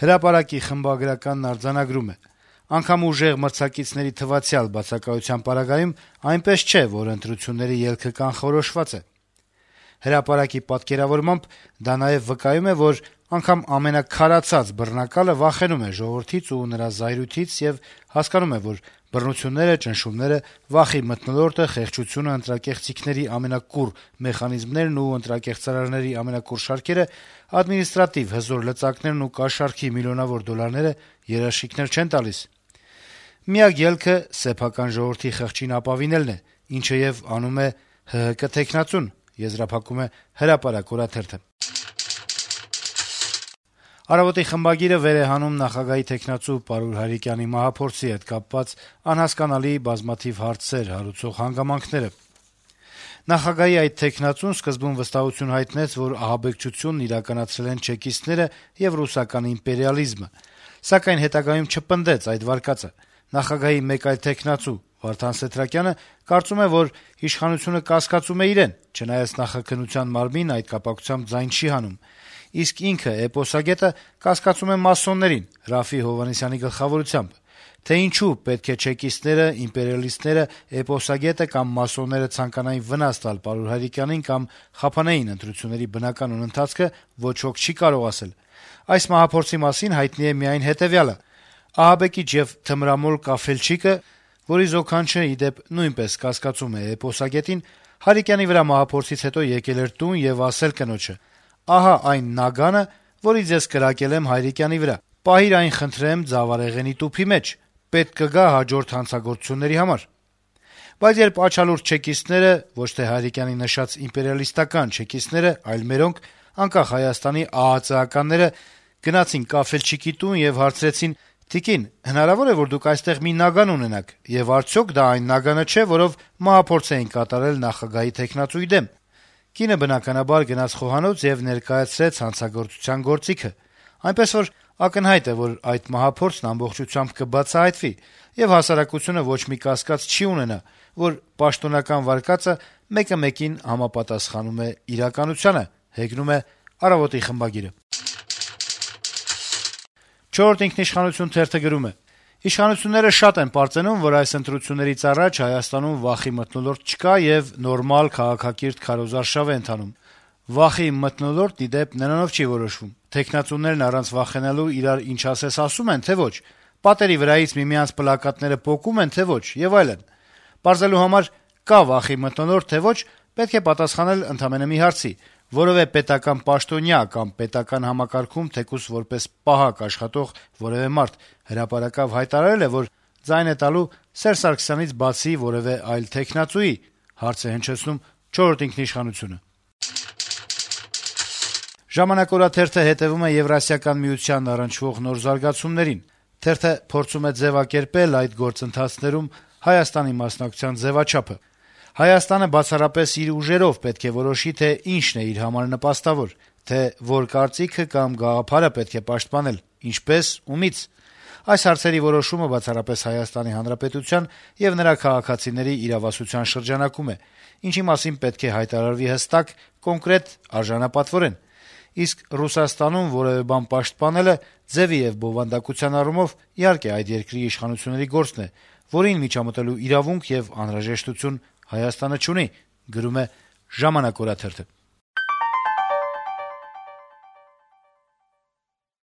Հրապարակի խմբագրականն արձանագրում է. - «Անգամ ուժեղ մրցակիցների թվացial բացակայության պարագայում այնպես չէ, որ ընտրությունների ելքը կանխորոշված է»: Հրապարակի պատկերավորմամբ դա նաեւ վկայում է, որ անգամ ամենաքարացած բռնակալը վախենում է ժողովրդից ու նրա զայրույթից եւ հասկանում է, որ բռնությունները, ճնշումները, վախի մթնոլորտը, խեղճությունը, ընտրակեղծիքների ամենակուռ մեխանիզմներն ու ընտրակեղծարարների ամենակուռ շարքերը, ադմինիստրատիվ հզոր լծակներն ու կաշառքի միլիոնավոր դոլարները երաշխիքներ չեն տալիս: Միակ ելքը սեփական ժողովրդի խղճին ապավինելն է, ինչը եւ անում է ՀՀԿ թեկնածուն»: «Առավոտ»-ի խմբագիրը վեր է հանում նախագահի թեկնածու Պարուլ Հայրիկյանի մահափորձի հետ կապված անհասկանալի բազմաթիվ հարցեր հարուցող հանգամանքները: Նախագահի այդ թեկնածուն սկզբում վստահություն հայտնեց, որ ահաբեկչությունն իրականացրել են չեկիստները եւ ռուսական իմպերիալիզմը, սակայն հետագայում չպնդեց այդ վարկածը: Նախագահի մեկ այլ թեկնածու Վարդան Սեթրակյանը կարծում է, որ իշխանությունը կասկածում է իրեն, չնայած նախաքննության մարմինն այդ կապակցությամբ ձայն չի հանում, իսկ ինքը` էպոսագետը, կասկածում է մասոններին` Րաֆֆի Հովհաննիսյանի գլխավորությամբ: Թե ինչու պետք է չեկիստները, իմպերիալիստները, էպոսագետը կամ մասոնները ցանկանային վնաս տալ Պարուլ Հայրիկյանին կամ խափանեին ընտրությունների բնականոն ընթացքը, ոչ ոք չի կարող ասել: Այս մահափորձի մասին հայտնի է միայն հետեւյալը. ահաբեկիչ եւ թմրամոլ կաֆելչիկը, որի զոքանչը, ի դեպ, նույնպես կասկածում է էպոսագետին, Հայրիկյանի վրա մահափորձից հետո եկել էր տուն եւ ասել կնոջը. «Ահա այն նագանը, որից ես կրակել եմ Հայրիկյանի վրա: Պահիր այն, խնդրեմ, ձավարեղենի տուփի մեջ: Պետք կգա հաջորդ հանցագործությունների համար»: Բայց երբ աչալուրջ չեկիստները, ոչ թե Հայրիկյանի նշած իմպերիալիստական չեկիստները, այլ մերոնք, անկախ Հայաստանի ԱԱԾ-ականները գնացին Կաֆելչիկի տուն եւ հարցրեցին. «Տիկին, հնարավո՞ր է, որ դուք այստեղ մի նագան ունենաք, եւ արդյոք դա այն նագանը չէ, որով մահափորձ էին կատարել նախագահի թեկնածուի դեմ»: Կինը, բնականաբար, գնաց խոհանոց եւ ներկայացրեց հանցագործության գործիքը: Այնպես որ ակնհայտ է, որ այդ մահափորձն ամբողջությամբ կբացահայտվի, եւ հասարակությունը ոչ մի կասկած չի ունենա, որ պաշտոնական վարկածը մեկը մեկին համապատասխանում է իրականությանը: «Չորրորդ ինքնիշխանություն»-ը գրում է. - «Իշխանությունները շատ են պարծենում, որ այս ընտրություններից առաջ Հայաստանում վախի մթնոլորտ չկա եւ նորմալ, քաղաքակիրթ քարոզարշավ է ընթանում: Վախի մթնոլորտն, ի դեպ, նրանով չի որոշվում: Թեկնածուներն առանց վախենալու իրար ինչ ասես ասում են, թե ոչ: Պատերի վրայից միմյանց պլակատները պոկում են, թե ոչ եւ այլն: Պարզելու համար կա վախի մթնոլորտ, թե ոչ, պետք է պատասխանել ընդամենը մի հարցի. որեւէ պետական պաշտոնյա կամ պետական համակարգում թեկուզ որպես պահակ աշխատող որեւէ մարդ հրապարակավ հայտարարե՞լ է, որ ձայն է տալու Սերժ Սարգսյանից բացի որեւէ այլ թեկնածուի»: «Ժամանակ» օրաթերթը հետեւում է Եվրասիական միությանն առնչվող նոր զարգացումներին: Թերթը փորձում է ձեւակերպել այդ գործընթացներում Հայաստանի մասնակցության ձեւաչափը: Հայաստանը բացառապես իր ուժերով պետք է որոշի, թե ինչն է իր համար նպաստավոր, թե որ կարծիքը կամ գաղափարը պետք է պաշտպանել, ինչպես, ումից: Այս հարցերի որոշումը բացառապես Հայաստանի Հանրապետության եւ նրա քաղաքացիների իրավասության շրջանակում է, ինչի մասին պետք է հայտարարվի հստակ, կոնկրետ, արժանապատվորեն: Իսկ Ռուսաստանում որեւէ բան պաշտպանելը ձեւի եւ բովանդակության առումով, իհարկե, այդ երկրի իշխանությունների գործն է, որին միջամտելու իրավունք եւ անհրաժեշտություն Հայաստանը չունի»: